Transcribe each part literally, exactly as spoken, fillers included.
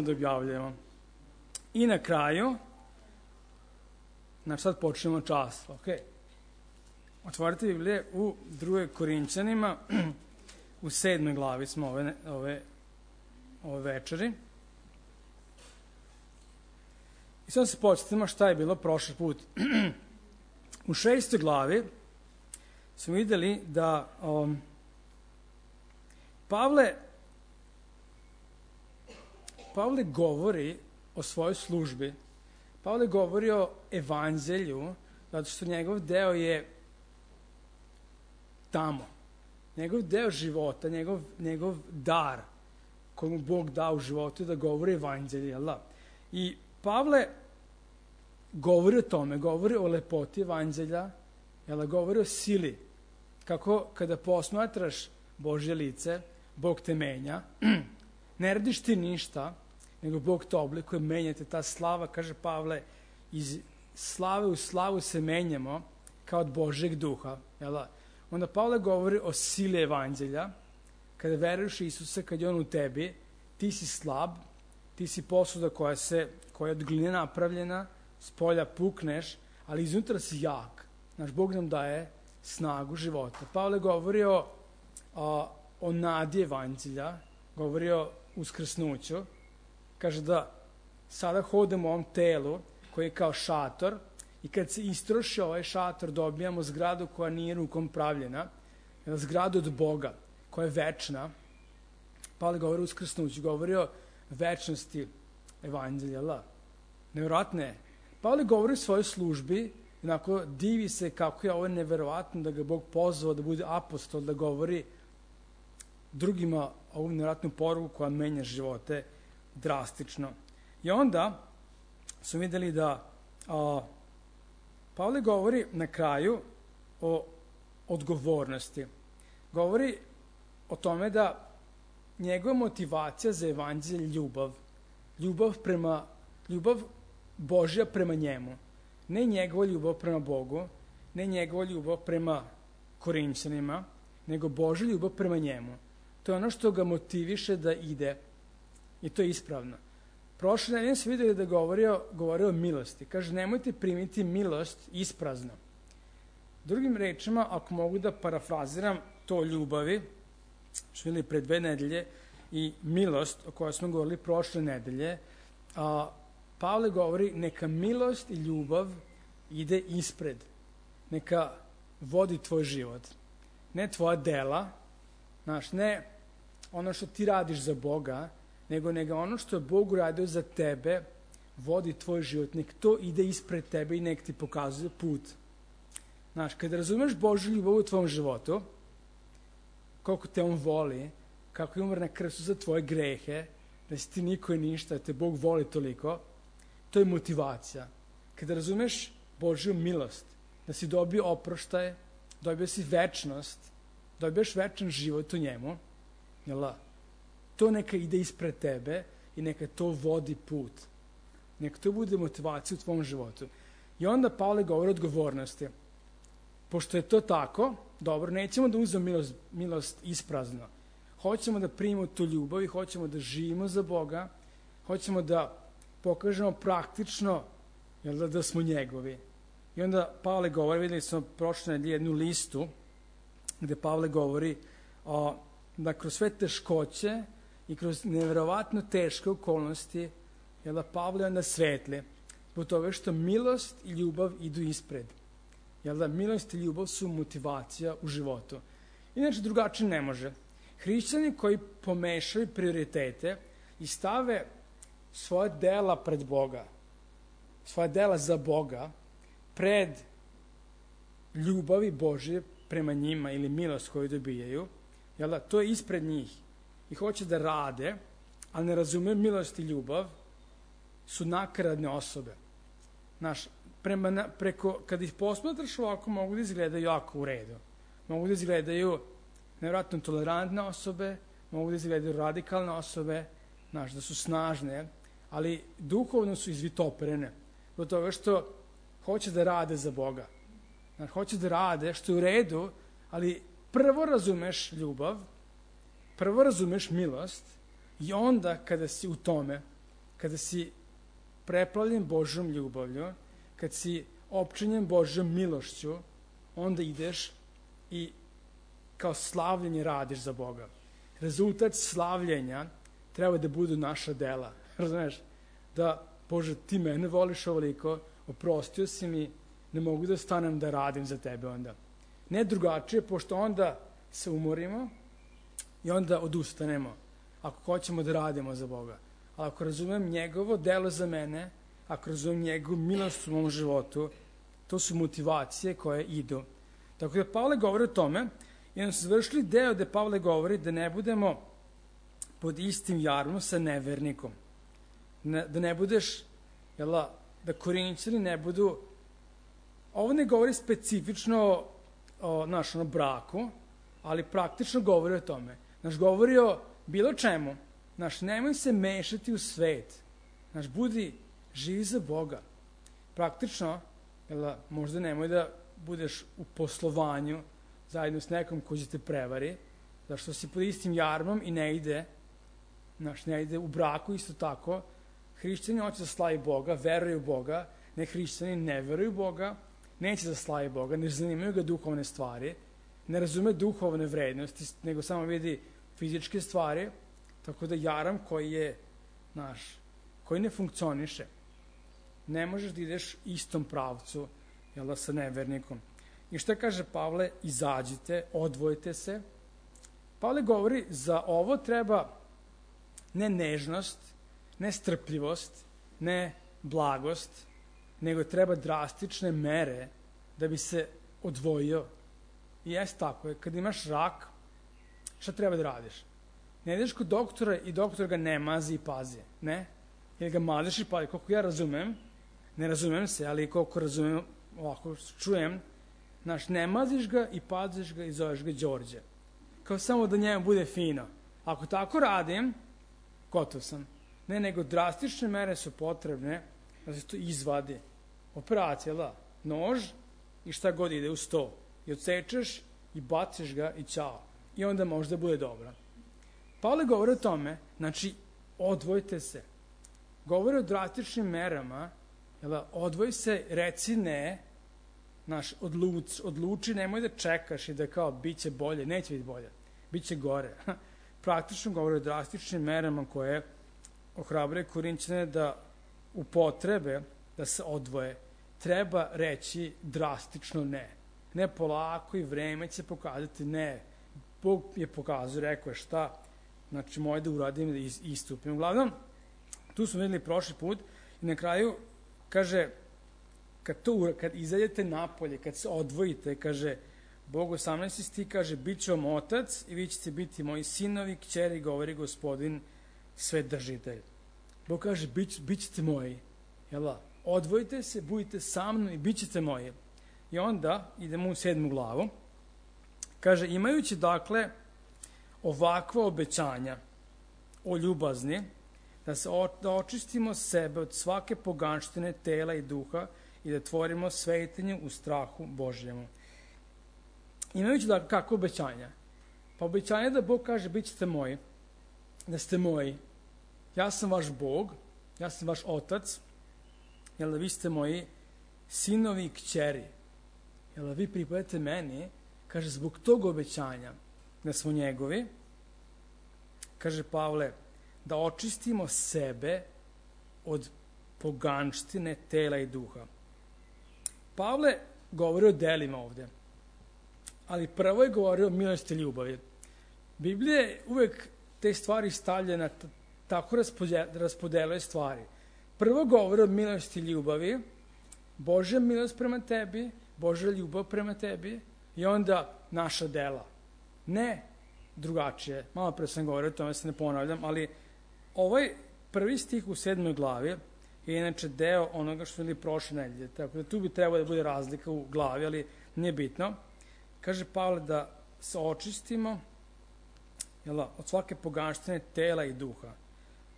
da objavljujemo. I na kraju, znači sad počnemo čas, ok? Otvorite Biblije u drugoj Korinćanima, u sedmoj glavi smo ove, ove, ove večeri. I sad se podsjetimo šta je bilo prošli put. U šestoj glavi smo vidjeli da um, Pavle Pavle govori o svojoj službi. Pavle govori o evanđelju, zato što njegov deo je tamo. Njegov deo života, njegov, njegov dar koji mu Bog da u životu je da govori evanđelje. Jel da? I Pavle govori o tome, govori o lepoti evanđelja, jel da? Govori o sili. Kako kada posmatraš Božje lice, Bog te menja, ne radiš ti ništa, nego Bog te oblikuje, menjate ta slava, kaže Pavle, iz slave u slavu se menjamo kao od Božjeg duha. Jel da? Onda Pavle govori o sili evanđelja, kada veruješ Isusa, kad je on u tebi, ti si slab, ti si posuda koja, se, koja je od gline napravljena, s polja pukneš, ali iznutra si jak. Naš Bog nam daje snagu života. Pavle govori o, o, o nadi evanđelja, govori o uskrsnuću, kaže da sada hodamo u ovom telu koji je kao šator i kad se istroši ovaj šator dobijamo zgradu koja nije rukom pravljena, zgradu od Boga koja je večna. Pavle govori o uskrsnuću, govori o večnosti evanđelja. Nevjerojatno je. Pavle govori o svojoj službi, onako divi se kako je ovo nevjerovatno da ga Bog pozvao da bude apostol, da govori drugima ovu nevjerojatnu poruku koja menja živote drastično. I onda su vidjeli da a, Pavle govori na kraju o odgovornosti. Govori o tome da njegova motivacija za evanđelje je ljubav. Ljubav prema, ljubav Božja prema njemu. Ne njegova ljubav prema Bogu, ne njegova ljubav prema Korinćanima, nego Božja ljubav prema njemu. To je ono što ga motiviše da ide. I to je ispravno. Prošle nedelje smo vidjeli da govorio, govorio o milosti. Kaže, nemojte primiti milost isprazno. Drugim rečima, ako mogu da parafraziram to ljubavi, što vidjeli pre dve nedelje, i milost o kojoj smo govorili prošle nedelje, a, Pavle govori, neka milost i ljubav ide ispred. Neka vodi tvoj život. Ne tvoja dela, znaš, ne ono što ti radiš za Boga, nego nego ono što je Bog uradio za tebe, vodi tvoj život. Nek to ide ispred tebe i nek ti pokazuje put. Znaš, kada razumeš Božju ljubav u tvom životu, koliko te on voli, kako je umr na krstu za tvoje grehe, da si ti niko i ništa, da te Bog voli toliko, to je motivacija. Kada razumeš Božju milost, da si dobio oproštaj, dobio si večnost, dobiješ večan život u njemu, jel' to neka ide ispred tebe i neka to vodi put. Neka to bude motivacija u tvom životu. I onda Pavle govori o odgovornosti. Pošto je to tako, dobro, nećemo da uzmemo milost, milost isprazno. Hoćemo da primimo tu ljubav i hoćemo da živimo za Boga, hoćemo da pokažemo praktično, jel da, da smo njegovi. I onda Pavle govori, vidjeli smo prošle nedelje jednu listu, gde Pavle govori o, da kroz sve teškoće i kroz nevjerovatno teške okolnosti, jel da Pavle onda svetli, zbog toga što milost i ljubav idu ispred. Jel da milost i ljubav su motivacija u životu. Inače drugačije ne može. Hrišćani koji pomešaju prioritete i stave svoje dela pred Boga, svoje dela za Boga, pred ljubavi Božje prema njima ili milost koju dobijaju, jel da, to je ispred njih i hoće da rade, ali ne razumeju milost i ljubav, su nakaradne osobe. Znaš, prema, preko, kada ih posmatraš ovako, mogu da izgledaju jako u redu. Mogu da izgledaju nevjerojatno tolerantne osobe, mogu da izgledaju radikalne osobe, znaš, da su snažne, ali duhovno su izvitoperene. Zbog toga što hoće da rade za Boga. Znaš, hoće da rade, što je u redu, ali prvo razumeš ljubav, prvo razumeš milost i onda kada si u tome, kada si preplavljen Božjom ljubavlju, kad si opčinjen Božjom milošću, onda ideš i kao slavljenje radiš za Boga. Rezultat slavljenja treba da budu naša dela. Razumeš? Da, Bože, ti mene voliš ovoliko, oprostio si mi, ne mogu da stanem da radim za tebe onda. Ne drugačije, pošto onda se umorimo i onda odustanemo, ako hoćemo da radimo za Boga. Ali ako razumem njegovo delo za mene, ako razumem njegovu milost u mom životu, to su motivacije koje idu. Tako da Pavle govori o tome, i onda su završili deo gde Pavle govori da ne budemo pod istim jarmom sa nevernikom. Ne, da ne budeš, jela, da Korinćani ne budu, ovo ne govori specifično o našom braku, ali praktično govori o tome. Naš govori o bilo čemu. Naš, nemoj se mešati u svet. Naš, budi živi za Boga. Praktično, jela, možda nemoj da budeš u poslovanju zajedno s nekom ko će te prevari, zašto si pod istim jarmom i ne ide, naš, ne ide u braku isto tako. Hrišćani hoće da slavi Boga, veruju Boga, ne hrišćani ne veruju Boga, neće da slavi Boga, ne zanimaju ga duhovne stvari, ne razume duhovne vrednosti, nego samo vidi fizičke stvari, tako da jaram koji je naš, koji ne funkcioniše. Ne možeš da ideš istom pravcu, jel da, sa nevernikom. I šta kaže Pavle? Izađite, odvojite se. Pavle govori, za ovo treba ne nežnost, ne strpljivost, ne blagost, nego treba drastične mere da bi se odvojio. I jes tako je, kad imaš rak, šta treba da radiš? Ne ideš kod doktora i doktor ga ne mazi i pazi, ne? Ili ga maziš i pazi. Koliko ja razumem, ne razumem se, ali koliko razumem, ovako čujem, znaš, ne maziš ga i paziš ga i zoveš ga Đorđe. Kao samo da njemu bude fino. Ako tako radim, gotov sam. Ne, nego drastične mere su potrebne da se to izvadi. Operacija, da, nož i šta god ide u sto. I odsečeš i baciš ga i ćao. I onda možda bude dobro. Pavle govori o tome, znači, odvojite se. Govori o drastičnim merama, jel, odvoj se, reci ne, naš, odluč, odluči, nemoj da čekaš i da kao, bit će bolje, neće biti bolje, bit će gore. Praktično govori o drastičnim merama koje ohrabruje Korinćane da upotrebe, da se odvoje. Treba reći drastično ne. Ne polako i vreme će pokazati ne. Bog je pokazao, rekao je šta, znači moje da uradim da istupim. Uglavnom, tu smo videli prošli put i na kraju kaže, kad, to, kad izađete napolje, kad se odvojite, kaže, Bog osamnaesti stih kaže, bit će vam otac i vi ćete biti moji sinovi, kćeri, govori Gospodin, Svedržitelj. Bog kaže, bit, bit ćete moji. Jel, odvojite se, budite sa mnom i bit ćete moji. I onda idemo u sedmu glavu. Kaže, imajući dakle ovakva obećanja o ljubazni, da se o, da očistimo sebe od svake poganštine tela i duha i da tvorimo svetinje u strahu Božjemu. Imajući dakle kako obećanja? Pa obećanje da Bog kaže, bit ćete moji, da ste moji. Ja sam vaš Bog, ja sam vaš otac, jel da vi ste moji sinovi i kćeri. Jel da vi pripadate meni, kaže, zbog tog obećanja da smo njegovi, kaže Pavle, da očistimo sebe od poganštine tela i duha. Pavle govori o delima ovde, ali prvo je govorio o milosti i ljubavi. Biblija je uvek te stvari stavlja na tako raspodeluje stvari. Prvo govori o milosti i ljubavi, Božja milost prema tebi, Božja ljubav prema tebi i onda naša dela. Ne drugačije. Malo pre sam govorio o tome, se ne ponavljam, ali ovaj prvi stih u sedmoj glavi je inače deo onoga što je prošle nedelje. Tako da tu bi trebalo da bude razlika u glavi, ali nije bitno. Kaže Pavle da se očistimo, jel, od svake poganštine tela i duha.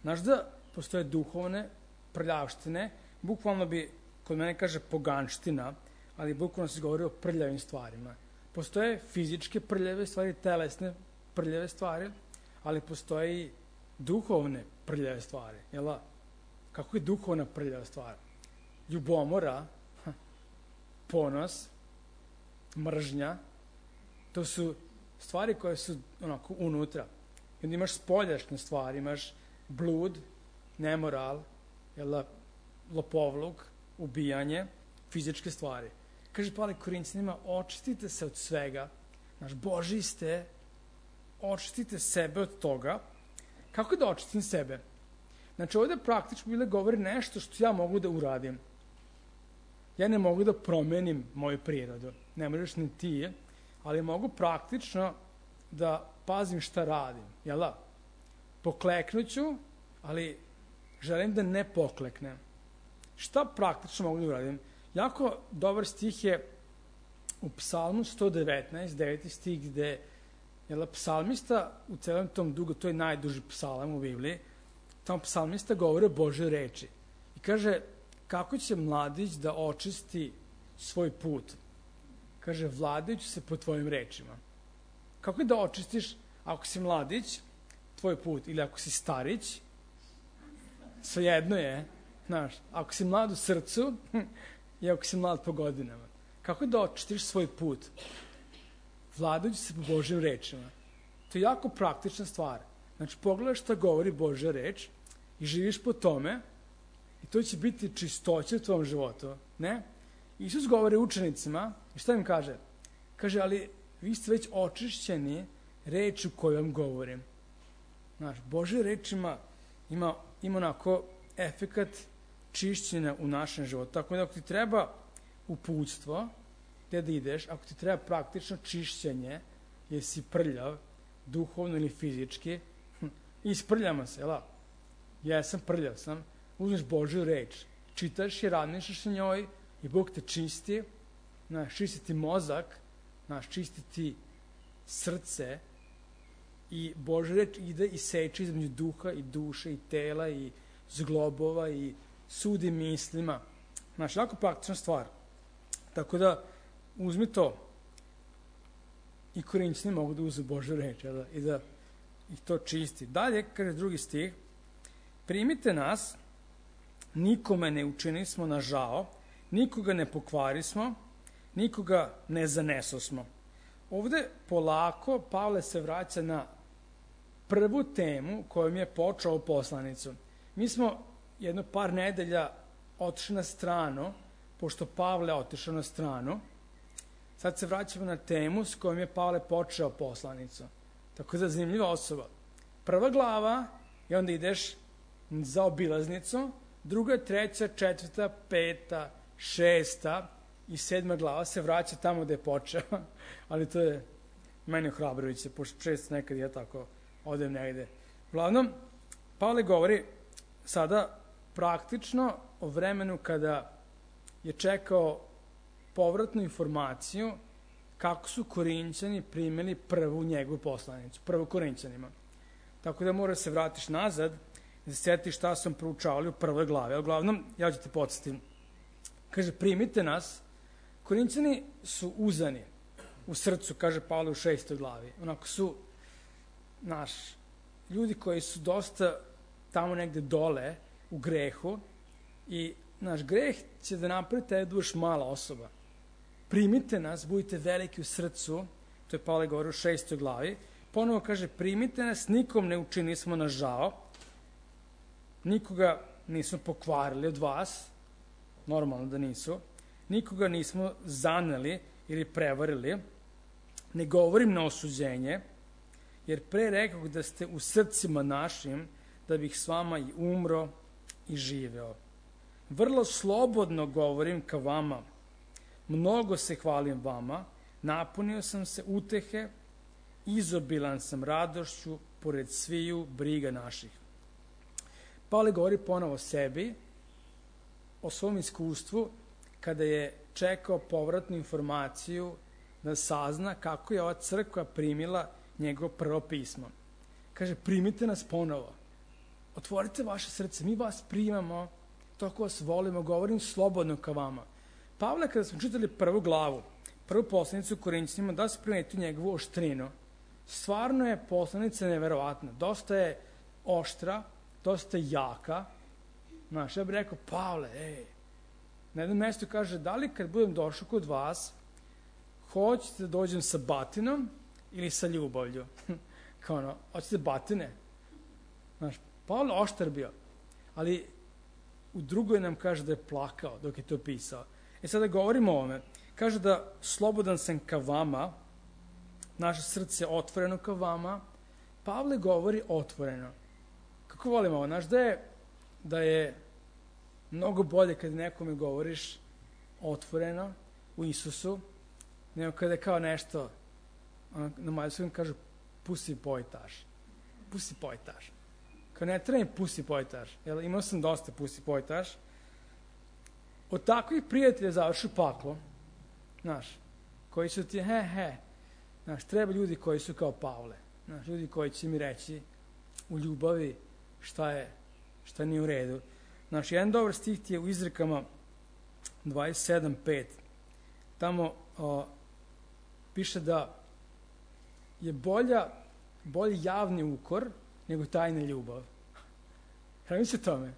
Znaš da postoje duhovne prljavštine, bukvalno bi, kod mene kaže poganština, ali bukvalno se govori o prljavim stvarima. Postoje fizičke prljave stvari, telesne prljave stvari, ali postoje i duhovne prljave stvari. Jel? kako je duhovna prljava stvar. Ljubomora, ponos, mržnja, to su stvari koje su onako unutra. I onda imaš spoljašnje stvari, imaš blud, nemoral, jel, lopovluk, ubijanje, fizičke stvari. Kaže Pavle Korinćanima, očistite se od svega, znaš, Božji ste, očistite sebe od toga. Kako da očistim sebe? Znači, ovde praktično bile govori nešto što ja mogu da uradim. Ja ne mogu da promenim moju prirodu, ne možeš ni ti, ali mogu praktično da pazim šta radim, jel da? Pokleknuću, ali želim da ne pokleknem. Šta praktično mogu da uradim? Jako dobar stih je u Psalmu sto devetnaest, deveti stih, gde jel, psalmista u celom tom dugu, to je najduži psalam u Bibliji, tamo psalmista govori o Božoj reči. I kaže, kako će mladić da očisti svoj put? Kaže, vladajući se po tvojim rečima. Kako da očistiš, ako si mladić, tvoj put, ili ako si starić, svejedno je, znaš, ako si mlad u srcu i ako si mlad po godinama. Kako da očistiš svoj put? Vladajući se po Božjim rečima. To je jako praktična stvar. Znači, pogledaš šta govori Božja reč i živiš po tome i to će biti čistoća u tvojom životu, ne? Isus govori učenicima i šta im kaže? Kaže, ali vi ste već očišćeni rečju koju vam govorim. Znaš, Božja reč ima, ima, ima onako efekat čišćenja u našem životu. Tako da ako ti treba uputstvo, gde da ideš, ako ti treba praktično čišćenje, jer si prljav, duhovno ili fizički, isprljamo se, jel? Ja sam prljav sam, uzmeš Božju reč, čitaš je, razmišljaš o njoj i Bog te čisti, znaš, čisti ti mozak, znaš, čisti ti srce i Božja reč ide i seče između duha i duše i tela i zglobova i sudi mislima. Znaš, jako praktična stvar. Tako da, uzmi to. I Korinćani mogu da uzu Božju reč, jel? I da ih to čisti. Dalje, kaže drugi stih, primite nas, nikome ne učinismo na žao, nikoga ne pokvarismo, nikoga ne zanesosmo. Ovde polako Pavle se vraća na prvu temu kojom je počeo poslanicu. Mi smo jedno par nedelja otišli na stranu, pošto Pavle otišao na stranu, sad se vraćamo na temu s kojom je Pavle počeo poslanicu. Tako da zanimljiva osoba. Prva glava i onda ideš za obilaznicu, druga, treća, četvrta, peta, šesta i sedma glava se vraća tamo gde je počeo, ali to je meni ohrabrujuće, pošto često nekad ja tako odem negde. Uglavnom, Pavle govori sada praktično o vremenu kada je čekao povratnu informaciju kako su Korinćani primili prvu njegovu poslanicu, prvu Korinćanima. Tako da mora se vratiš nazad i da se sjetiš šta sam proučavali u prvoj glavi. Uglavnom, ja ću ti podsjetim. Kaže, primite nas. Korinćani su uzani u srcu, kaže Pavle u šestoj glavi. Onako su, naš, ljudi koji su dosta tamo negde dole u grehu i naš greh će da napravi te da budeš mala osoba. Primite nas, budite veliki u srcu, to je Pavle govori u šestoj glavi, ponovo kaže, primite nas, nikom ne učinismo na žao, nikoga nismo pokvarili od vas, normalno da nisu, nikoga nismo zaneli ili prevarili, ne govorim na osuđenje, jer pre rekao da ste u srcima našim, da bih s vama i umro i živeo. Vrlo slobodno govorim ka vama, mnogo se hvalim vama, napunio sam se utehe, izobilan sam radošću, pored sviju briga naših. Pavle govori ponovo o sebi, o svom iskustvu, kada je čekao povratnu informaciju da sazna kako je ova crkva primila njegovo prvo pismo. Kaže, primite nas ponovo, otvorite vaše srce, mi vas primamo, toliko vas volimo, govorim slobodno ka vama. Pavle, kada smo čitali prvu glavu, prvu poslanicu Korinćanima, da se primetio njegovu oštrinu. Stvarno je poslanica neverovatna. Dosta je oštra, dosta je jaka Znaš, ja bih rekao, Pavle, ej, na jednom mjestu kaže, da li kad budem došao kod vas, hoćete da dođem sa batinom ili sa ljubavlju? Kao ono, hoćete batine? Znaš, Pavle oštar bio, ali u drugoj nam kaže da je plakao dok je to pisao. E sada govorimo o ovome. Kaže da slobodan sam ka vama, naše srce je otvoreno ka vama. Pavle govori otvoreno. Kako volimo ovo? Znaš da je, da je mnogo bolje kad nekome govoriš otvoreno u Isusu, nego kada je kao nešto, na mađarskom kažu pusi pojtaš. Pusi pojtaš. Kao ne treba mi pusi pojtaš. Jel, imao sam dosta pusi pojtaš. Od takvih prijatelja završi paklo. Znaš, koji su ti he he. Znaš, treba ljudi koji su kao Pavle. Znaš, ljudi koji će mi reći u ljubavi šta je, šta nije u redu. Znaš, jedan dobar stih ti je u Izrekama dvadeset sedam pet. Tamo o, piše da je bolja, bolji javni ukor nego tajna ljubav. Hrvim se tome.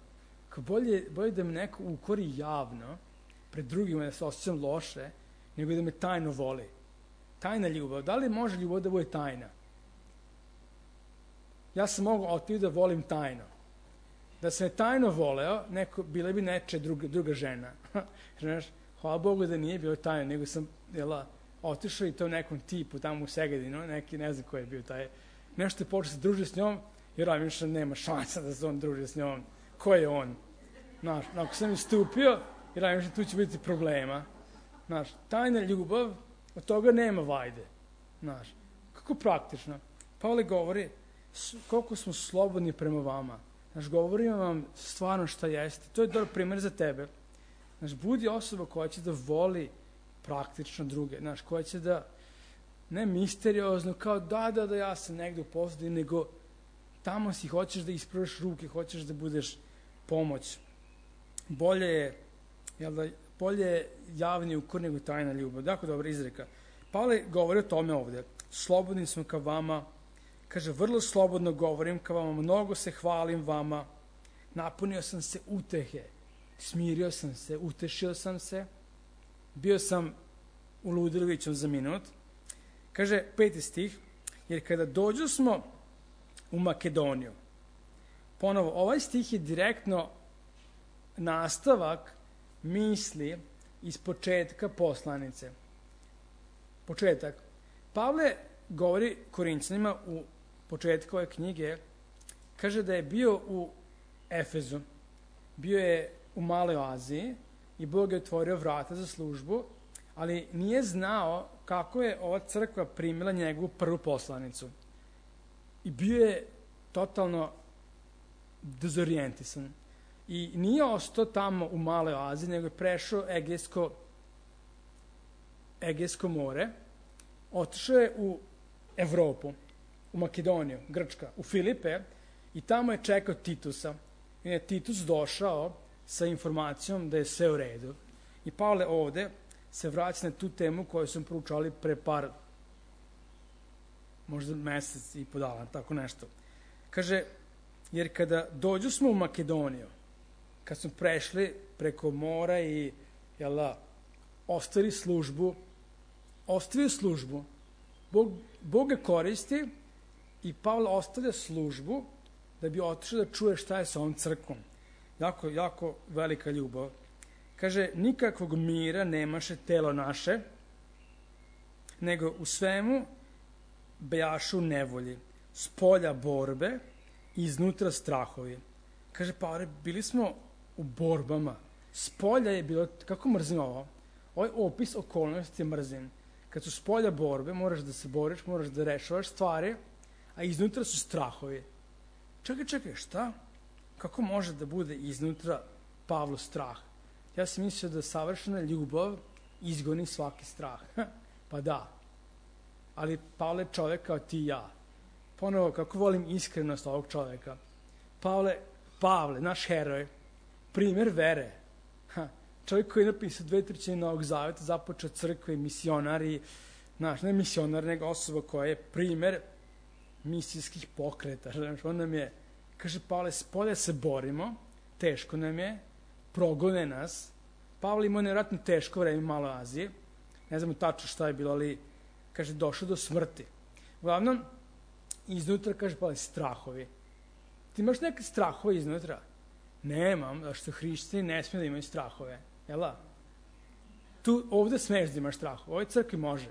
Kao bolje, bolje da me neko ukori javno, pred drugima da se osjećam loše, nego da me tajno voli. Tajna ljubav. Da li može ljubav da bude tajna? Ja sam mogao otići da volim tajno. Da se me tajno voleo, neko, bila bi neče druga, druga žena. Znaš, hvala Bogu da nije bilo tajno, nego sam jela, otišao i to nekom tipu tamo u Segedinu, neki, ne znam ko je bio taj, nešto je počeo se družiti s njom, jer ja više nema šansa da se on druži s njom. Ko je on? Znaš, ako sam istupio, jer ja više tu će biti problema. Znaš, tajna ljubav, od toga nema vajde. Znaš, kako praktično. Pavle govori, koliko smo slobodni prema vama. Znaš, govorim vam stvarno šta jeste. To je dobar primjer za tebe. Znaš, budi osoba koja će da voli praktično druge. Znaš, koja će da, ne misteriozno, kao da, da, da, ja sam negdje u pozadini, nego tamo si, hoćeš da ispraviš ruke, hoćeš da budeš pomoć. Bolje je, jel da, bolje je javni ukor nego tajna ljubav. Dakle, dobra izreka. Pavle govori o tome ovdje. Slobodni smo ka vama. Kaže, vrlo slobodno govorim ka vama, mnogo se hvalim vama. Napunio sam se utehe. Smirio sam se, utešio sam se. Bio sam u ludilovićom za minut. Kaže, peti stih, jer kada dođu smo u Makedoniju, ponovo, ovaj stih je direktno nastavak misli iz početka poslanice. Početak. Pavle govori Korinćanima u početku ove knjige, kaže da je bio u Efezu, bio je u Maloj Aziji i Bog je otvorio vrata za službu, ali nije znao kako je ova crkva primila njegovu prvu poslanicu. I bio je totalno dezorijentisan. I nije ostao tamo u Maloj Aziji, nego je prešao Egejsko, Egejsko more, otišao je u Evropu, u Makedoniju, Grčka, u Filipe i tamo je čekao Titusa. I je Titus došao sa informacijom da je sve u redu. I Pavle ovde se vraća na tu temu koju smo proučali pre par, možda mesec i po dana, tako nešto. Kaže, jer kada dođu smo u Makedoniju, kad smo prešli preko mora i jela, ostavili službu, ostavio službu, Bog, Bog ga koristi i Pavle ostavlja službu da bi otišao da čuje šta je sa ovom crkvom. Jako, jako velika ljubav. Kaže, nikakvog mira nemaše telo naše, nego u svemu bejašu nevolji, s polja borbe i iznutra strahovi. Kaže, Pavle, bili smo u borbama. S polja je bilo, kako mrzim ovo? Ovaj opis okolnosti je mrzim. Kad su s polja borbe, moraš da se boriš, moraš da rešavaš stvari, a iznutra su strahovi. Čekaj, čekaj, šta? Kako može da bude iznutra Pavlu strah? Ja sam mislio da savršena ljubav izgoni svaki strah. Pa da. Ali Pavle je čovjek kao ti i ja. Ponovo, kako volim iskrenost ovog čovjeka. Pavle, Pavle, naš heroj, primjer vere. Ha, čovjek koji je napisao dve trećine Novog Zaveta, započeo crkve i misionar i, znaš, ne misionar, nego osoba koja je primjer misijskih pokreta. Znaš, on nam je, kaže Pavle, s polja se borimo, teško nam je, progone nas. Pavle imao nevjerojatno teško vreme u Maloj Aziji, ne znamo tačno šta je bilo, ali, kaže, došao do smrti. Uglavnom, iznutra, kaže Pavle, strahovi. Ti imaš neke strahove iznutra? Nemam, da što hrišćani ne smije da imaju strahove. Jel' tu, ovde smeš da imaš strahove, u ovoj crkvi može.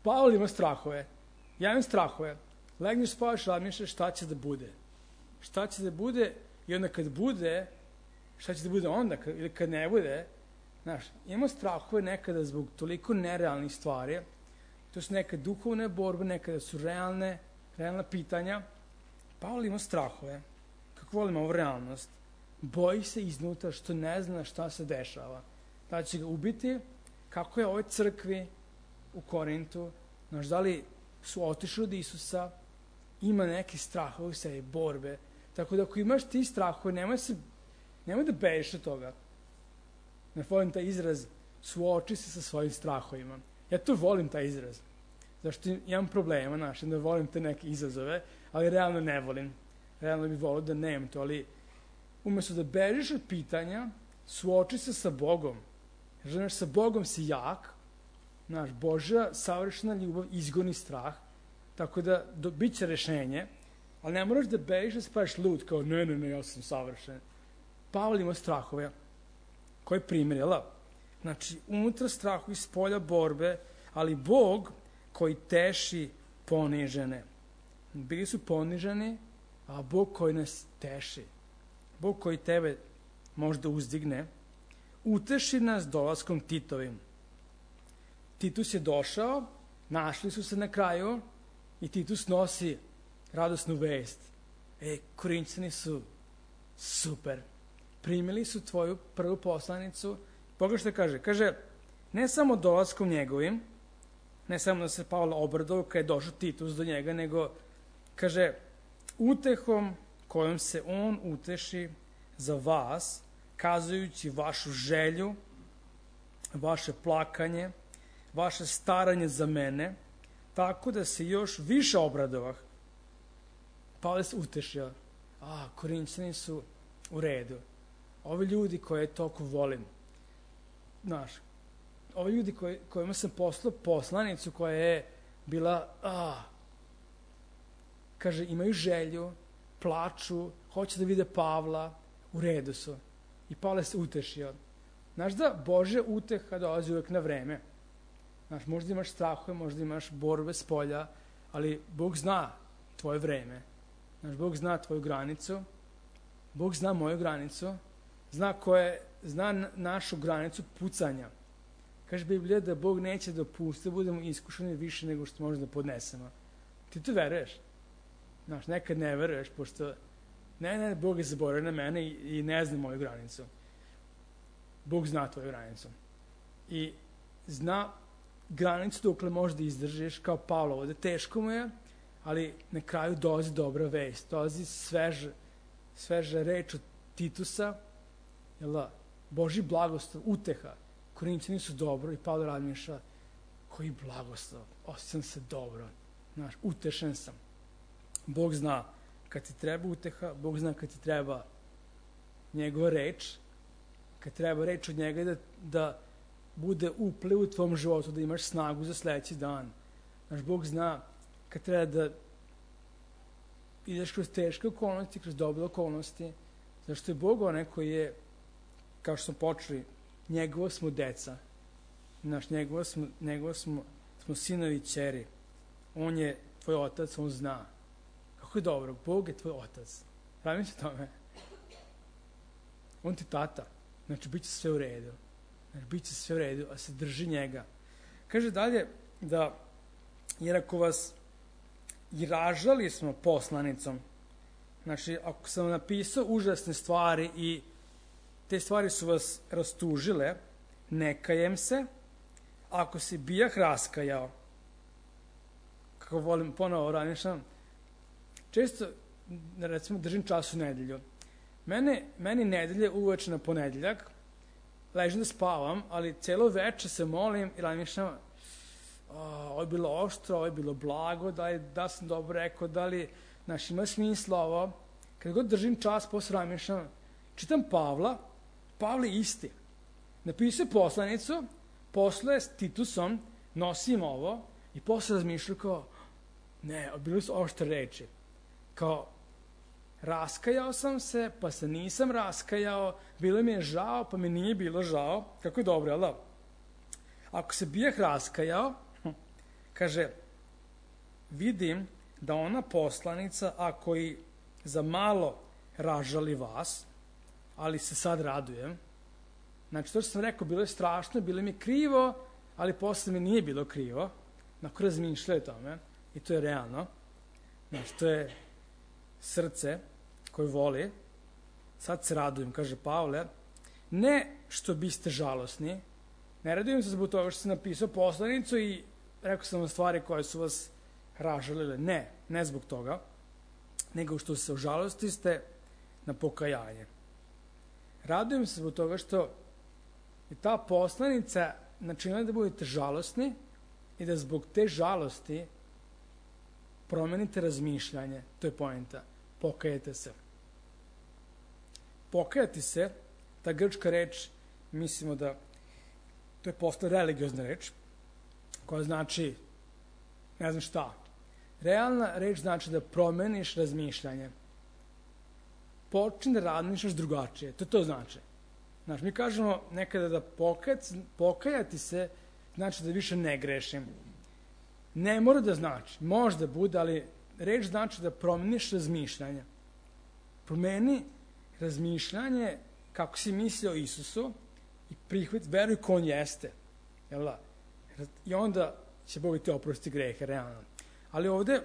Pavle ima strahove, ja imam strahove. Legneš, spavaš, razmišljaš šta će da bude. Šta će da bude i onda kad bude, šta će da bude onda kad, ili kad ne bude. Znaš, imamo strahove nekada zbog toliko nerealnih stvari. To su neke duhovne borbe, nekada su realne, realna pitanja. Pavle ima strahove. Kako volim ovu realnost? Boji se iznutra što ne zna šta se dešava. Da će ga ubiti, kako je ovoj crkvi u Korintu, znaš, da li su otišli od Isusa, ima neki strahove u sebi, borbe. Tako da ako imaš ti strahove, nemoj, se, nemoj da bežiš od toga. Ne volim taj izraz, suoči se sa svojim strahovima. Ja to volim taj izraz. Zašto imam problema, znaš, da volim te neke izazove, ali realno ne volim. Realno bih volio da nemam to, ali umjesto da bežiš od pitanja, suoči se sa Bogom. Jer, znaš, sa Bogom si jak, znaš, Božja savršena ljubav izgoni strah, tako da do, bit će rešenje, ali ne moraš da bežiš da se praviš lud, kao ne, ne, ne, ja sam savršen. Pavle ima strahove. Koji primjer, jel? Znači, unutra strahu iz polja borbe, ali Bog koji teši ponižene. Bili su poniženi, a Bog koji nas teši. Bog koji tebe možda uzdigne, uteši nas dolaskom Titovim. Titus je došao, našli su se na kraju i Titus nosi radosnu vest. E, Korinćani su super. Primili su tvoju prvu poslanicu. Boga što kaže? Kaže, ne samo dolaskom njegovim, ne samo da se Pavle obradovao kad je došao Titus do njega, nego, kaže, utehom kojom se on uteši za vas, kazujući vašu želju, vaše plakanje, vaše staranje za mene, tako da se još više obradovah. Pavle se utešio. A, Korinćani su u redu. Ovi ljudi koje toliko volim, znaš, ovi ljudi koji, kojima sam poslao poslanicu koja je bila, a, kaže, imaju želju, plaču, hoće da vide Pavla, u redu su. I Pavle se utešio. Znaš da Božja uteha dolazi uvek na vreme. Znaš, možda imaš strahove, možda imaš borbe s polja, ali Bog zna tvoje vreme. Znaš, Bog zna tvoju granicu, Bog zna moju granicu, zna, koje, zna našu granicu pucanja. Kaže Biblija da Bog neće dopustiti da budemo iskušani više nego što možemo da podnesemo. Ti to veruješ? Znaš, nekad ne veruješ, pošto ne, ne, Bog je zaboravio na mene i, i ne zna moju granicu. Bog zna tvoju granicu. I zna granicu dokle možda izdržiš, kao Pavlo ovde. Teško mu je, ali na kraju dolazi dobra vest, dolazi sveža, sveža reč od Titusa, jel da, Božji blagoslov, uteha. Korinćani su dobro i Pavle razmišlja, koji blagoslov, osjećam se dobro, znaš, utešen sam. Bog zna kad ti treba uteha, Bog zna kad ti treba njegova reč, kad treba reč od njega da, da bude upliv u tvom životu, da imaš snagu za sledeći dan. Znaš, Bog zna kad treba da ideš kroz teške okolnosti, kroz dobre okolnosti, zašto je Bog onaj koji je, kao što smo počeli, njegovo smo deca. Znaš, njegovo smo, njegovo smo, smo sinovi i ćeri. On je tvoj otac, on zna. Kako je dobro, Bog je tvoj otac. Pravim se tome. On ti tata. Znači, bit će sve u redu. Znači, bit će sve u redu, a se drži njega. Kaže dalje da, jer ako vas i ražali smo poslanicom, znači, ako sam napisao užasne stvari i te stvari su vas rastužile, ne kajem se, ako se bijah raskajao, kako volim ponovo ranišam, često, recimo, držim čas u nedelju. Mene, meni nedelje uveče na ponedeljak, ležim da spavam, ali celo veče se molim i razmišljam, ovo je bilo oštro, ovo je bilo blago, da li da sam dobro rekao, da li, znaš, ima smisla ovo, kad god držim čas, posle razmišljam, čitam Pavla, Pavle isti. Napisao je poslanicu, posle s Titusom nosim ovo i posle razmišljam kao, ne, bili su oštre reči. Kao, raskajao sam se, pa se nisam raskajao, bilo mi je žao, pa mi nije bilo žao. Kako je dobro, jel da? Ako se bijeh raskajao, kaže, vidim da ona poslanica, a koji za malo ražali vas, ali se sad radujem. Znači, to što sam rekao, bilo je strašno, bilo mi krivo, ali posle mi nije bilo krivo. Nakon razmišljaju o tome, i to je realno. Znači, to je srce koje voli. Sad se radujem, kaže Pavle. Ne što biste žalosni, ne radujem se zbog toga što sam napisao poslanicu i rekao sam vam stvari koje su vas ražalile. Ne, ne zbog toga, nego što se ožalosti ste na pokajanje. Radujem se zbog toga što je ta poslanica načinila da budete žalosni i da zbog te žalosti promenite razmišljanje. To je poenta. Pokajete se. Pokajati se, ta grčka reč, mislimo da to je posle religiozna reč, koja znači, ne znam šta, realna reč znači da promeniš razmišljanje. Počni da razmišljaš drugačije. To to znači. Znači, mi kažemo nekada da pokajati, pokajati se znači da više ne grešim. Ne mora da znači. Možda bude, ali reč znači da promeniš razmišljanje. Promeni razmišljanje kako si mislio o Isusu i prihvat, veruj ko on jeste. Jel da? I onda će Bog ti oprosti grehe, realno. Ali ovde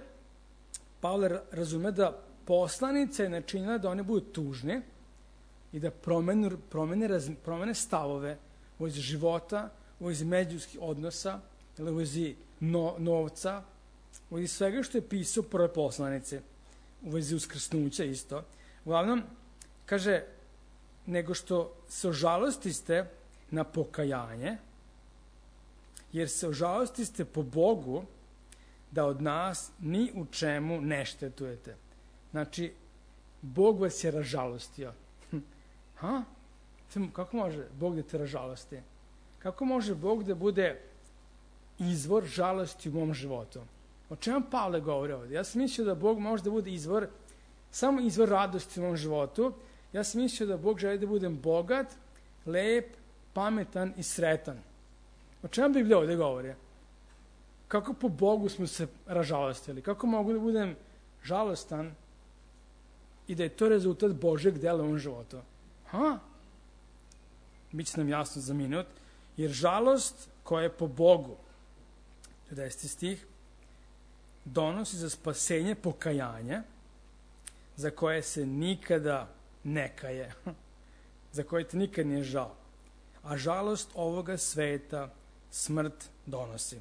Pavle razume da poslanica je načinila da one budu tužne i da promene, promene, promene stavove u vezi života, u vezi međuljudskih odnosa, u vezi no, novca, u vezi svega što je pisao prve poslanice, u vezi uskrsnuća isto. Uglavnom, kaže, nego što se ožalostiste na pokajanje, jer se ožalostiste po Bogu da od nas ni u čemu ne štetujete. Znači, Bog vas je ražalostio. Ha? Kako može Bog da te ražalosti? Kako može Bog da bude izvor žalosti u mom životu? O čemu Pavle govori ovdje? Ja sam mislio da Bog može da bude izvor, samo izvor radosti u mom životu. Ja sam mislio da Bog želi da budem bogat, lep, pametan i sretan. O čemu Biblija ovdje govori? Kako po Bogu smo se ražalostili? Kako mogu da budem žalostan i da je to rezultat Božeg dela u mom životu? Ha? Biće nam jasno za minut. Jer žalost koja je po Bogu, deseti stih, donosi za spasenje pokajanje, za koje se nikada ne kaje, za koje te nikad nije žao. A žalost ovoga sveta smrt donosi.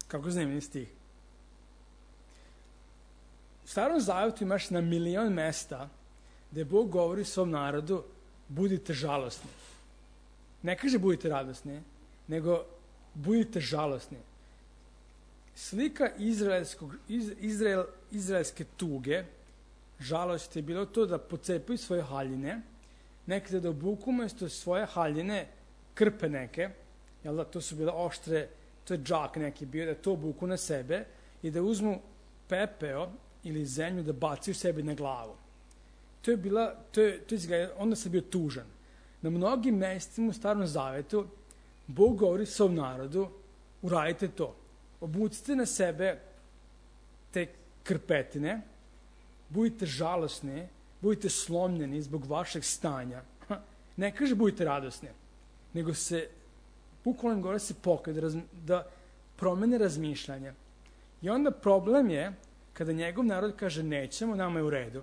Kako zanimljiv stih. U Starom Zavetu imaš na milion mesta gde Bog govori svom narodu budite žalosni. Ne kaže budite radosni, nego budite žalosni. Slika izraelskog, iz, Izrael, izraelske tuge, žalost je bilo to da pocepaju svoje haljine, nekada da obuku umesto svoje haljine krpe neke, jel da, to su bile oštre, to je džak neki bio, da to obuku na sebe i da uzmu pepeo ili zemlju da bacaju sebi na glavu. To je bila, to je, to je, onda sam bio tužan. Na mnogim mestima u Starom Zavetu Bog govori svom narodu, uradite to. Obucite na sebe te krpetine, budite žalosni, budite slomljeni zbog vašeg stanja. Ne kaže budite radosni, nego se, bukvalno govori se pokaj, da, da promene razmišljanja. I onda problem je, kada njegov narod kaže nećemo, nama je u redu.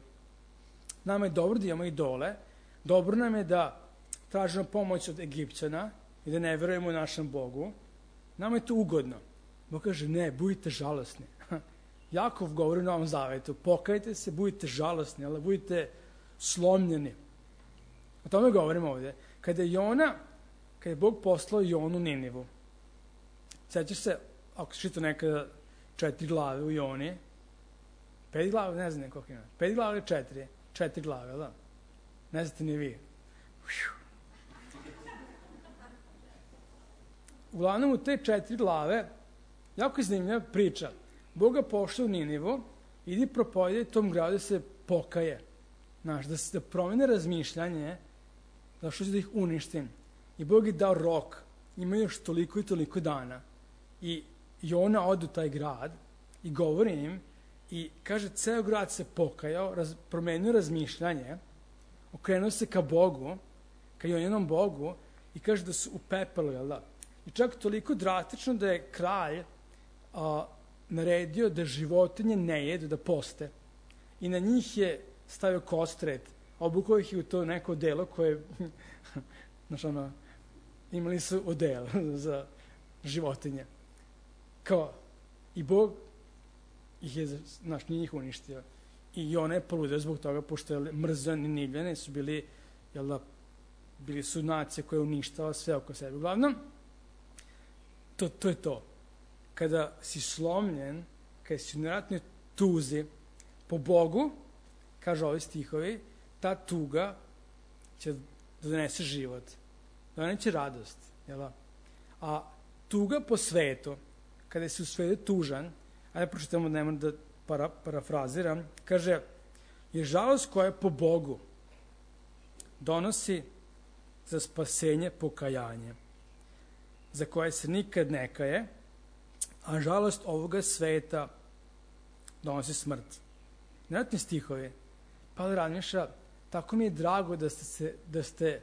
Nama je dobro da imamo idole, dobro nam je da tražimo pomoć od Egipćana i da ne verujemo našem Bogu. Nama je to ugodno. Bog kaže, ne, budite žalosni. Jakov govori u Novom Zavetu, pokajte se, budite žalosni, ali budite slomljeni. O tome govorimo ovdje. Kada je Jona, kada je Bog poslao Jonu Ninivu, sećaš se, ako se čita nekada četiri glave u Joni, Pet glava, ne znam koliko ima. Pet glava ili četiri? Četiri glave, da? Ne znate ni vi. Uglavnom, u te četiri glave, jako je zanimljiva priča. Boga pošla u Ninivu, idi propovedi tom gradu da se pokaje. Znaš, da se da promene razmišljanje, da što će da ih uništim. I Bog je dao rok. Ima još toliko i toliko dana. I Jona ode u taj grad i govori im i kaže, ceo grad se pokajao, raz, promenio razmišljanje, okrenuo se ka Bogu, ka Joninom Bogu i kaže da su u pepelu, jel da? I čak toliko drastično da je kralj a, naredio da životinje ne jedu, da poste. I na njih je stavio kostret, obukao ih je u to neko odelo koje, znaš ono, imali su odelo za životinje. Kao, i Bog ih je, znaš, nije ih uništio. I Jona je poludeo zbog toga, pošto je mrzio Ninivljane, su bili, jel da, bili su nacije koje uništava sve oko sebe. Uglavnom, to, to je to. Kada si slomljen, kada si u nevjerojatnoj tuzi po Bogu, kaže ovi stihovi, ta tuga će da donese život, da doneće radost. Jel da? A tuga po svetu, kada si u svetu tužan, ajde pročitamo, nema da para, parafraziram, kaže, je žalost koja po Bogu donosi za spasenje pokajanje, za koje se nikad ne kaje, a žalost ovoga sveta donosi smrt. Nevjerojatni stihovi. Pavle razmišlja, tako mi je drago da ste, se, da ste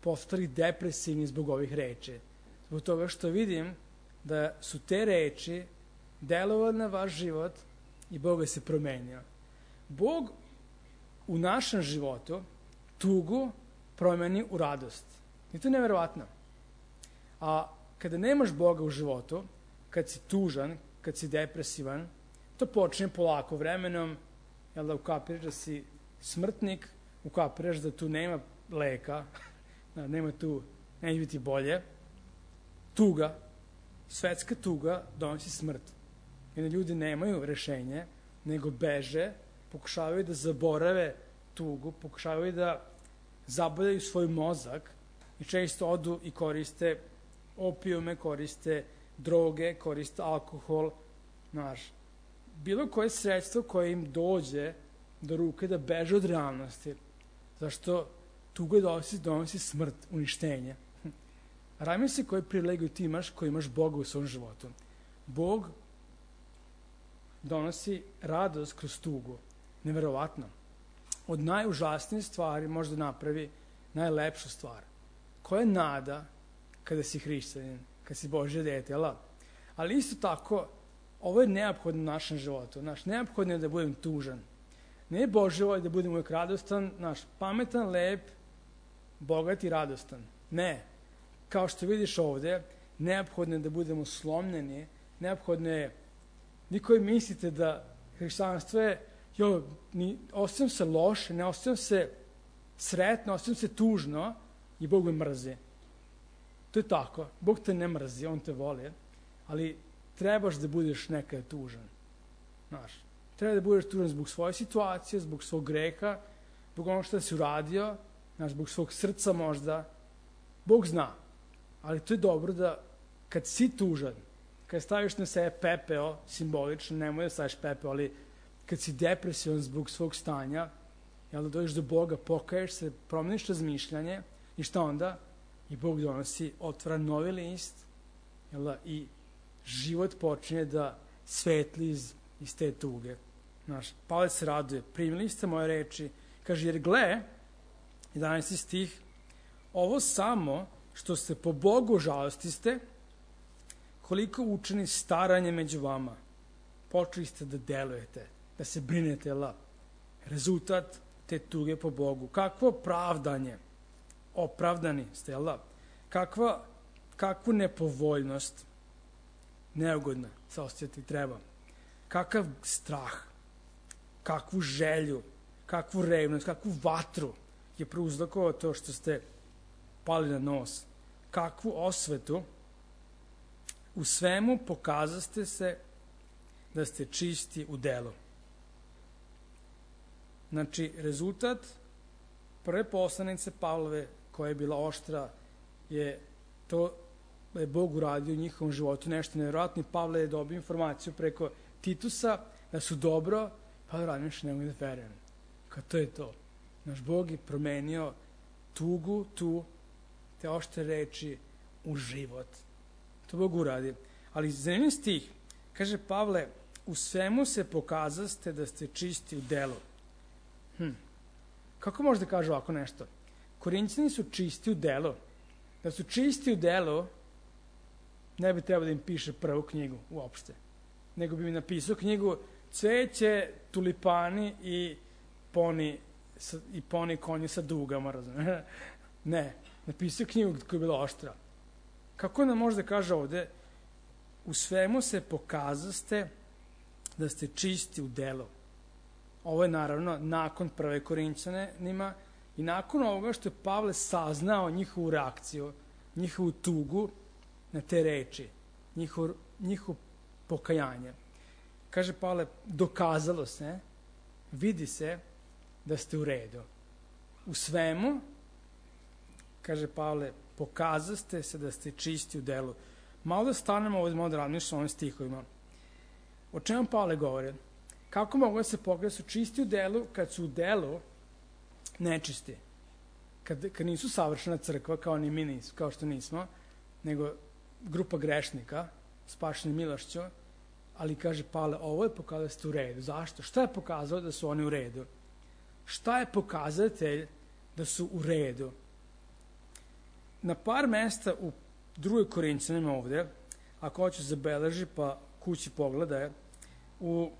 postali depresivni zbog ovih reči. Zbog toga što vidim da su te reči delovale na vaš život i Bog je se promenio. Bog u našem životu tugu promeni u radost. I to je nevjerovatno. A kada nemaš Boga u životu, kad si tužan, kad si depresivan, to počne polako vremenom, jel da ukapiraš da si smrtnik, ukapiraš da tu nema leka, da nema tu, neće biti bolje. Tuga, svetska tuga donosi smrt. Jer ljudi nemaju rešenje, nego beže, pokušavaju da zaborave tugu, pokušavaju da zabavljaju svoj mozak i često odu i koriste opijume, koriste droge, koriste alkohol, znaš, bilo koje sredstvo koje im dođe do ruke da beže od realnosti. Zašto tuga donosi, donosi smrt, uništenje. Rajme se koje privilegiju ti imaš, koji imaš Boga u svom životu. Bog donosi radost kroz tugu. Neverovatno. Od najužasnijih stvari možda napravi najlepšu stvar. Koja je nada kada si hrišćanin, kada si Božje dete, jel? Ali isto tako, ovo je neophodno u našem životu. Naš, neophodno je da budem tužan. Ne je Božje volja da budem uvijek radostan, naš, pametan, lep, bogat i radostan. Ne. Kao što vidiš ovde, neophodno je da budemo slomljeni, neophodno je, vi koji mislite da hrišćanstvo je, jo, ni, osjećam se loše, ne osjećam se sretno, osjećam se tužno i Bog me mrzi. To je tako. Bog te ne mrzi, On te voli, ali trebaš da budeš nekada tužan. Znaš, treba da budeš tužan zbog svoje situacije, zbog svog greha, zbog ono što si uradio, znaš, zbog svog srca možda. Bog zna. Ali to je dobro da kad si tužan, kad staviš na sebe pepeo, simbolično, nemoj da staviš pepeo, ali kad si depresivan zbog svog stanja, jel da dođeš do Boga, pokaješ se, promeniš razmišljanje i šta onda? I Bog donosi, otvara novi list, jel da, i život počinje da svetli iz, iz te tuge. Znaš, Pavle se raduje, primili ste moje reči, kaže, jer gle, jedanaesti stih, ovo samo što ste po Bogu žalosti ste, koliko učeni staranje među vama, počeli ste da delujete, da se brinete, jel da? Rezultat te tuge po Bogu. Kakvo pravdanje, opravdani ste, jel da? Kakva, kakvu nepovoljnost, neugodna se osjećati treba. Kakav strah, kakvu želju, kakvu revnost, kakvu vatru je prouzrokovao to što ste pali na nos. Kakvu osvetu, u svemu pokazaste se da ste čisti u delu. Znači, rezultat prve poslanice Pavlove, koja je bila oštra, je to da je Bog uradio u njihovom životu nešto nevjerojatno. Pavle je dobio informaciju preko Titusa da su dobro, pa da radim što ne mogu da verujem. Kao to je to. Naš Bog je promenio tugu, tu, te oštre reči u život. To Bog uradi. Ali zanimljiv stih, kaže Pavle, u svemu se pokazaste da ste čisti u delu. Hm. Kako može da kaže ovako nešto? Korinćani su čisti u delu. Da su čisti u delu, ne bi trebalo da im piše prvu knjigu uopšte. Nego bi mi napisao knjigu cveće, tulipani i poni, sa, i poni konji sa dugama, razumiješ? Ne, napisao knjigu koja je bila oštra. Kako nam može da kaže ovde? U svemu se pokazaste da ste čisti u delu. Ovo je naravno nakon prve Korinćanima i nakon ovoga što je Pavle saznao njihovu reakciju, njihovu tugu na te reči, njihov, njihov pokajanje. Kaže Pavle, dokazalo se, vidi se da ste u redu. U svemu, kaže Pavle, pokazaste se da ste čisti u delu. Malo da stanemo ovdje, malo da razmišljamo o ovim stihovima. O čemu Pavle govori? Kako mogu da se pokaže da su čisti u delu kad su u delu nečisti? Kad, kad nisu savršena crkva, kao ni mi nismo, kao što nismo, nego grupa grešnika, spašeni milošću, ali kaže Pavle, ovo je pokazalo da ste u redu. Zašto? Šta je pokazalo da su oni u redu? Šta je pokazatelj da su u redu? Na par mesta u drugoj Korinćanima ovde, ako hoću zabeleži pa kući pogledaj, u,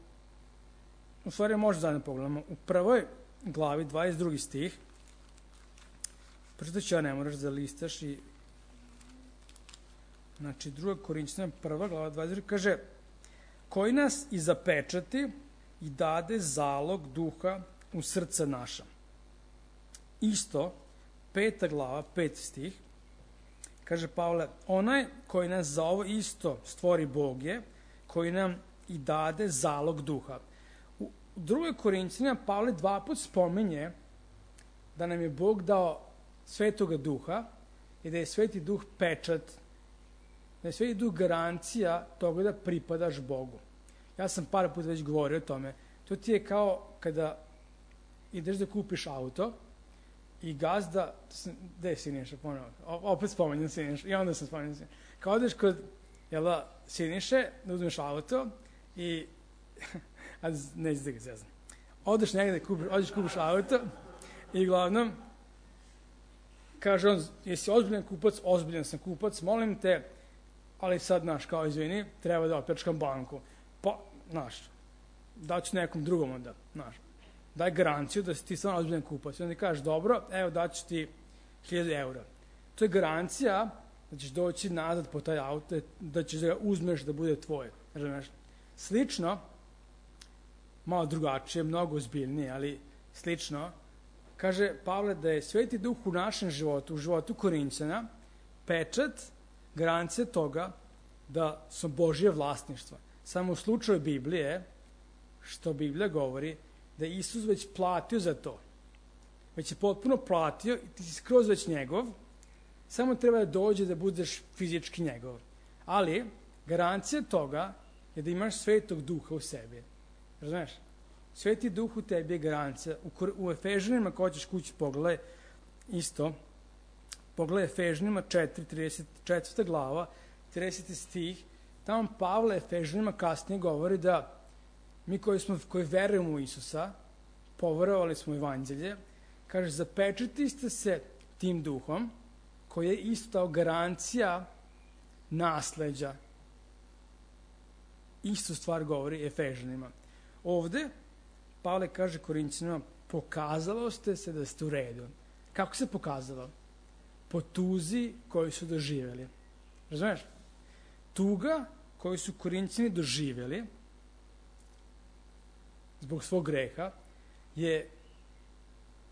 u stvari možda zajedno pogledamo, u prvoj glavi, dvadeset drugi stih, pročitat ću ja, ne moraš da listaš i znači druga Korinćanima, prva glava, dvadeset drugi, kaže koji nas i zapečati i dade zalog duha u srca naša. Isto, peta glava, peti stih, kaže Pavle, onaj koji nas za ovo isto stvori Bog je, koji nam i dade zalog duha. U drugoj Korinćanima Pavle dva put spominje da nam je Bog dao svetoga duha i da je sveti duh pečat, da je sveti duh garancija toga da pripadaš Bogu. Ja sam par puta već govorio o tome. To ti je kao kada ideš da kupiš auto i gazda, gde je Siniša ponovno? Opet spomenjem Siniša, i onda sam spomenjem Siniša. Kao odeš kod jela, Siniše, da uzmeš auto i, a neću da ga zezam. Odeš negde, kupiš, odeš kupiš auto i uglavnom kaže on, jesi ozbiljan kupac? Ozbiljan sam kupac, molim te, ali sad, znaš, kao izvini, treba da opljačkam banku. Pa, znaš, daću nekom drugom onda, znaš. Daj garanciju da si ti stvarno ozbiljan kupac. I onda kažeš, dobro, evo daću ti hiljadu eura. To je garancija da ćeš doći nazad po taj auto, da ćeš da ga uzmeš da bude tvoj. Razumeš? Slično, malo drugačije, mnogo ozbiljnije, ali slično, kaže Pavle da je sveti duh u našem životu, u životu Korinćana, pečat, garancija toga da su Božje vlasništva. Samo u slučaju Biblije, što Biblija govori, da je Isus već platio za to. Već je potpuno platio i ti si skroz već njegov, samo treba da dođe da budeš fizički njegov. Ali, garancija toga je da imaš svetog duha u sebi. Razumeš? Sveti duh u tebi je garancija. U, u Efežanima, ko ćeš kući pogledaj, isto, pogledaj Efežanima četiri, trideset četvrta glava, trideseti stih, tamo Pavle Efežanima kasnije govori da mi koji, smo, koji verujemo u Isusa, poverovali smo u evanđelje, kaže, zapečati ste se tim duhom, koji je isto kao garancija nasleđa. Istu stvar govori Efežanima. Ovde, Pavle kaže Korinćanima, pokazalo ste se da ste u redu. Kako se pokazalo? Po tuzi koju su doživjeli. Razumeš? Tuga koju su Korinćani doživjeli zbog svog greha je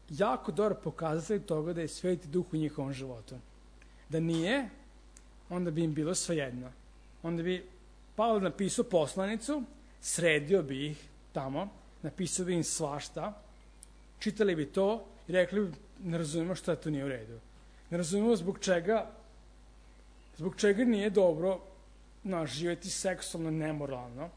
jako dobro pokazatelj toga da je sveti duh u njihovom životu. Da nije, onda bi im bilo svejedno. Onda bi Pavle napisao poslanicu, sredio bi ih tamo, napisao bi im svašta čitali bi to i rekli bi, ne razumemo šta to nije u redu. Ne razumemo zbog čega, zbog čega nije dobro naš, živjeti seksualno nemoralno,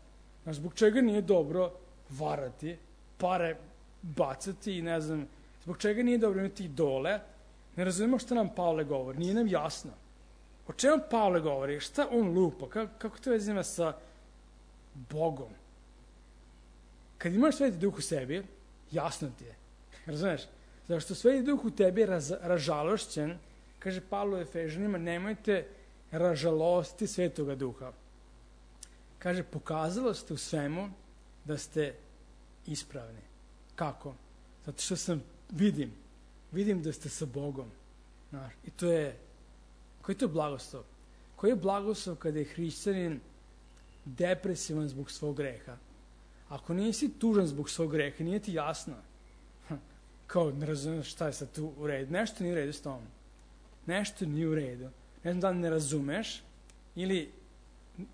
naš, zbog čega nije dobro varati, pare bacati i ne znam, zbog čega nije dobro imati idole. Ne razumemo šta nam Pavle govori, nije nam jasno. O čemu Pavle govori, šta on lupa, kako, kako to vezi ima sa Bogom? Kad imaš Sveti Duh u sebi, jasno ti je, razumeš? Zašto Sveti Duh u tebi je raz, ražalošćen, kaže Pavle u Efežanima, nemojte ražalosti Svetoga Duha. Kaže, pokazalo ste u svemu da ste ispravni. Kako? Zato što sam, vidim, vidim da ste sa Bogom. Znaš, i to je, koji je to blagoslov? Koji je blagoslov kada je hrišćanin depresivan zbog svog greha? Ako nisi tužan zbog svog greha, nije ti jasno. Kao, ne razumiješ šta je sad tu u redu. Nešto nije u redu s tom. Nešto nije u redu. Ne znam da li ne razumeš ili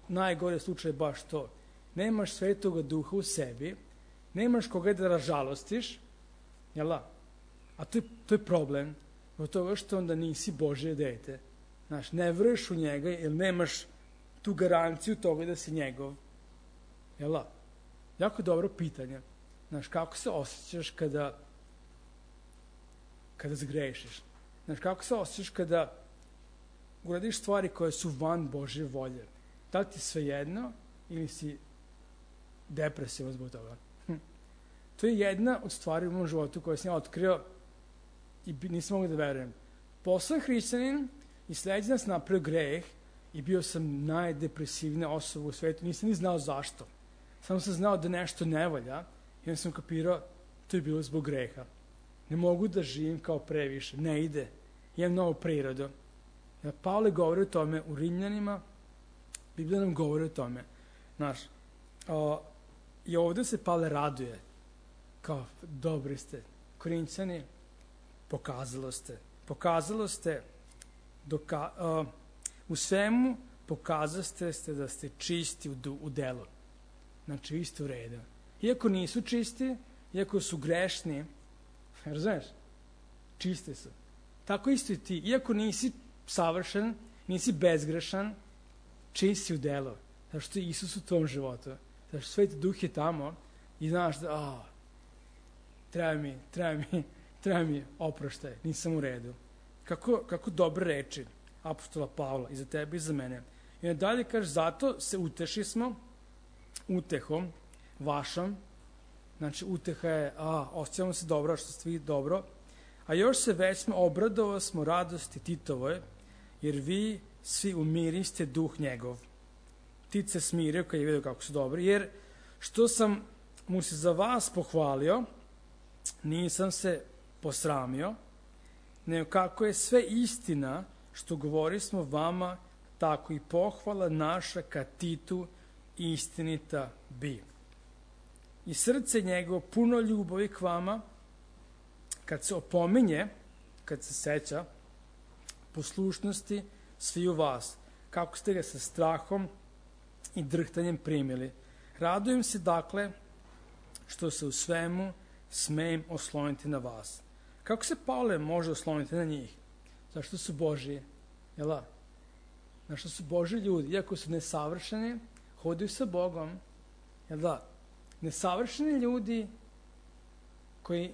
najgore slučaj je baš to. Nemaš Svetoga Duha u sebi, nemaš koga da ražalostiš, jel da? A to je, to je problem od toga što onda nisi Božje dete. Znaš, ne veruješ u njega jer nemaš tu garanciju toga da si njegov. Jel da? Jako dobro pitanje. Znaš, kako se osjećaš kada kada zgrešiš? Znaš, kako se osjećaš kada uradiš stvari koje su van Božje volje? Da li ti svejedno ili si depresivan zbog toga? Hm. To je jedna od stvari u mom životu koju sam ja otkrio i nisam mogu da verujem. Poslan hrišćanin i sledeći nas napravio greh i bio sam najdepresivnija osoba u svetu. Nisam ni znao zašto. Samo sam znao da nešto ne valja i onda sam kapirao to je bilo zbog greha. Ne mogu da živim kao previše. Ne ide. Imam novu prirodu. Ja, Pavle govori o tome u Rimljanima. Biblija nam govori o tome. Znaš, o, i ovde se Pavle raduje. Kao, dobri ste. Korinćani, pokazalo ste. Pokazalo ste doka, o, u svemu pokazaste ste da ste čisti u, u delu. Znači, vi ste u redu. Iako nisu čisti, iako su grešni, razumiješ? Čiste su. Tako isto i ti. Iako nisi savršen, nisi bezgrešan, čist si u delu. Zato što je Isus u tvom životu. Zato što Sveti Duh je tamo i znaš da, a, treba mi, treba mi, treba mi oproštaj, nisam u redu. Kako, kako dobre reči apostola Pavla i za tebe i za mene. I onda dalje kaže, zato se uteši smo utehom vašom. Znači, uteha je, a, osjećamo se dobro, što ste vi dobro. A još se već smo obradovali smo radosti Titovoj, jer vi svi umiriste duh njegov. Tit se smirio kad je vidio kako su dobri, jer što sam mu se za vas pohvalio, nisam se posramio, nego kako je sve istina što govori smo vama, tako i pohvala naša ka Titu istinita bi. I srce njegovo puno ljubavi k vama, kad se opominje, kad se seća poslušnosti svi u vas, kako ste ga sa strahom i drhtanjem primili. Radujem se, dakle, što se u svemu smejem osloniti na vas. Kako se Pavle može osloniti na njih? Zašto su Božji? Jel da? Zašto su Božji ljudi? Iako su nesavršeni, hodaju sa Bogom. Jel da? Nesavršeni ljudi koji,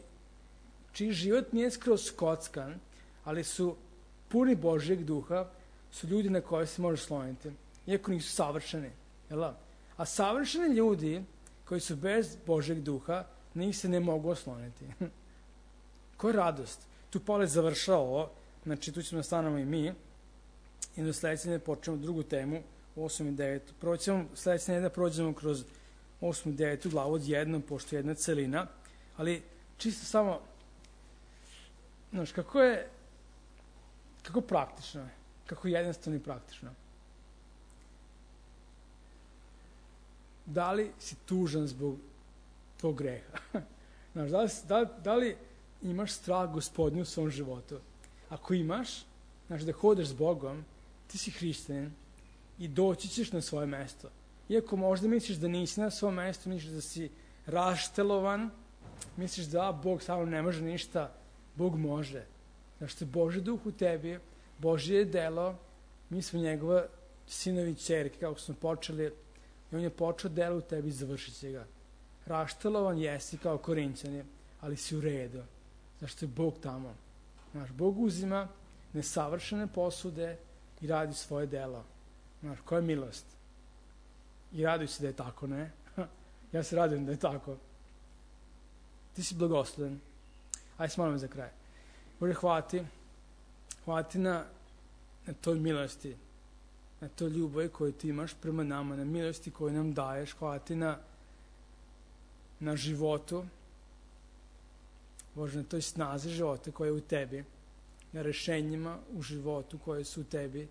čiji život nije skroz kockan, ali su puni Božjeg duha, su ljudi na koje se može sloniti. Iako nisu savršeni. Jel da? A savršeni ljudi koji su bez Božjeg duha, njih se ne mogu osloniti. Koja radost? Tu Pavle završao ovo, znači tu ćemo stanemo i mi, i do sledeće ne počnemo drugu temu, osam i devet. Prvo ćemo sledeće ne da prođemo kroz osam i devet glavu od jednom, pošto je jedna celina, ali čisto samo, znaš, kako je, kako praktično je, kako jednostavno i praktično. Da li si tužan zbog tvog greha? Znaš, da li, da, da li imaš strah Gospodnju u svom životu? Ako imaš, znaš, da hodeš s Bogom, ti si hrišćanin i doći ćeš na svoje mesto. Iako možda misliš da nisi na svoje mesto, misliš da si raštelovan, misliš da Bog samo ne može ništa, Bog može. Znaš što je Božji duh u tebi, Božje je delo, mi smo njegova sinovi i ćerke, kako smo počeli, i on je počeo delo u tebi i završit će ga. Raštalovan jesi kao Korinćani, ali si u redu. Znaš što je Bog tamo. Znaš, Bog uzima nesavršene posude i radi svoje delo. Znaš, koja je milost? I raduj se da je tako, ne? Ja se radujem da je tako. Ti si blagosloven. Ajde se molimo za kraj. Bože, hvala ti. Hvala ti na, na toj milosti, na toj ljubavi koju ti imaš prema nama, na milosti koju nam daješ. Hvala ti na, na životu, Bože, na toj snazi života koja je u tebi, na rešenjima u životu koje su u tebi.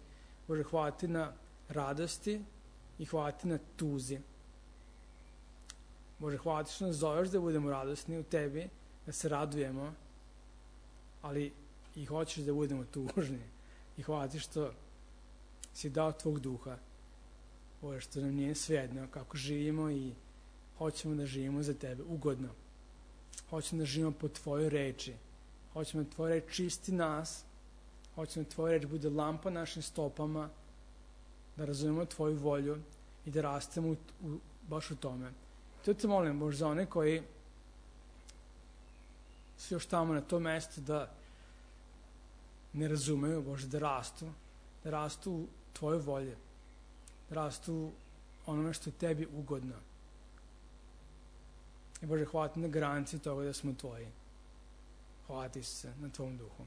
Bože, hvala ti na radosti i hvala ti na tuzi. Bože, hvala ti što nas zoveš da budemo radosni u tebi, da se radujemo, ali i hoćeš da budemo tužni. I hvala ti što si dao tvog duha, Bože, što nam nije svejedno kako živimo i hoćemo da živimo za tebe ugodno. Hoćemo da živimo po tvojoj reči. Hoćemo da tvoja reč čisti nas. Hoćemo da tvoja reč bude lampa našim stopama, da razumemo tvoju volju i da rastemo u, u, baš u tome. To te molim, Bože, za one koji su još tamo na tom mestu da ne razumeju, Bože, da rastu, da rastu u tvojoj volji, da rastu u onome što je tebi ugodno. I Bože, hvala ti na garanciji toga da smo tvoji. Hvala ti se na tvom duhu.